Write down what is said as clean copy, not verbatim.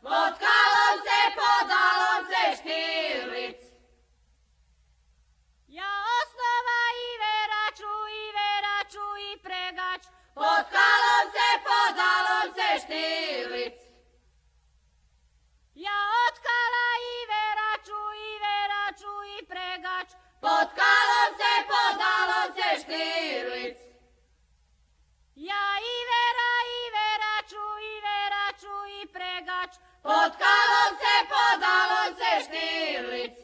pod kalom se, podalom se Štirlic. Ja osnova i veraču i pregač, pod kalom se, podalom se Štirlic. Ja otkala i veraču i pregač, pod kalom se, podalom se Štirlic. Ja i veraču i pregač, pod kalom se, podalom se Štirlic.